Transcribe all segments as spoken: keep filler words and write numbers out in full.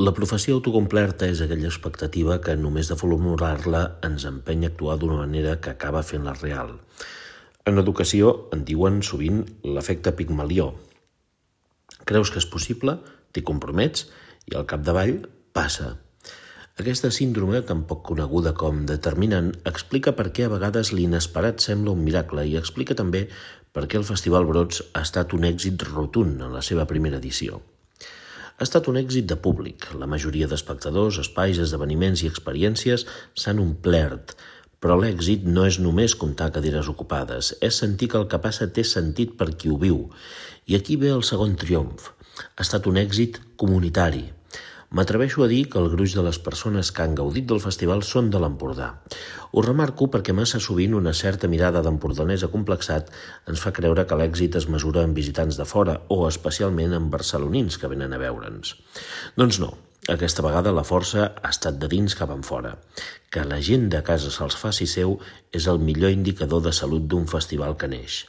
La profecia autocomplerta és aquella expectativa que només de formular-la ens empeny a actuar d'una manera que acaba fent-la real. En educació en diuen sovint l'efecte Pigmalió. Creus que és possible, t'hi compromets i al capdavall passa. Aquesta síndrome, tan poc coneguda com determinant, explica per què a vegades l'inesperat sembla un miracle i explica també per què el Festival Brots ha estat un èxit rotund en la seva primera edició. Ha estat un èxit de públic. La majoria d'espectadors, espais, esdeveniments i experiències s'han omplert, però l'èxit no és només comptar cadires ocupades, és sentir que el que passa té sentit per qui ho viu. I aquí ve el segon triomf. Ha estat un èxit comunitari. M'atreveixo a dir que el gruix de les persones que han gaudit del festival són de l'Empordà. Ho remarco perquè massa sovint una certa mirada d'empordanès acomplexat ens fa creure que l'èxit es mesura en visitants de fora o especialment en barcelonins que venen a veure'ns. Doncs no, aquesta vegada la força ha estat de dins cap enfora. Que la gent de casa se'ls faci seu és el millor indicador de salut d'un festival que neix.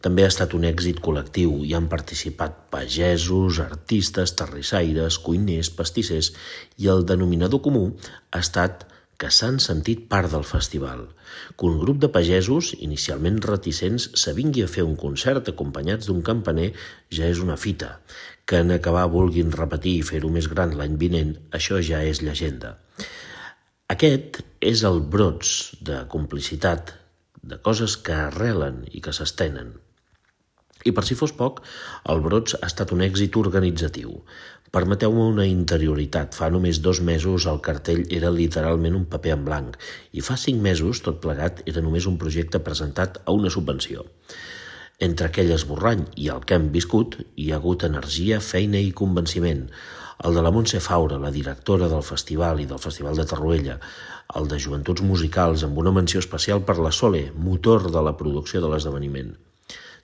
També ha estat un èxit col·lectiu. Hi han participat pagesos, artistes, terrissaires, cuiners, pastissers i el denominador comú ha estat que s'han sentit part del festival. Que un grup de pagesos, inicialment reticents, s'avingui a fer un concert acompanyats d'un campaner ja és una fita. Que en acabar vulguin repetir i fer-ho més gran l'any vinent, això ja és llegenda. Aquest és el brots de complicitat, de coses que arrelen i que s'estenen. I per si fos poc, el Brots ha estat un èxit organitzatiu. Permeteu-me una interioritat. Fa només dos mesos el cartell era literalment un paper en blanc i fa cinc mesos, tot plegat, era només un projecte presentat a una subvenció. Entre aquell esborrany i el que hem viscut, hi ha hagut energia, feina i convenciment. El de la Montse Faura, la directora del festival i del Festival de Torroella, el de Joventuts Musicals, amb una menció especial per la Sole, motor de la producció de l'esdeveniment.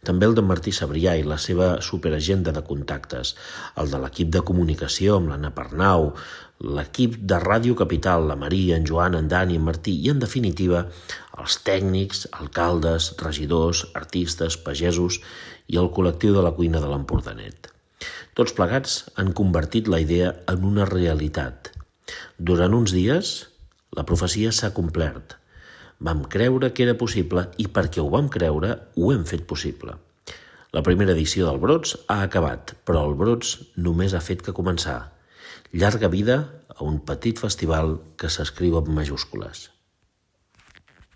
També el de Martí Sabrià i la seva superagenda de contactes, el de l'equip de comunicació amb l'Anna Pernau, l'equip de Ràdio Capital, la Maria, en Joan, en Dani, en Martí i, en definitiva, els tècnics, alcaldes, regidors, artistes, pagesos i el col·lectiu de la cuina de l'Empordanet. Tots plegats han convertit la idea en una realitat. Durant uns dies, la profecia s'ha complert. Vam creure que era possible i perquè ho vam creure, ho hem fet possible. La primera edició del Brots ha acabat, però el Brots només ha fet que començar. Llarga vida a un petit festival que s'escriu amb majúscules.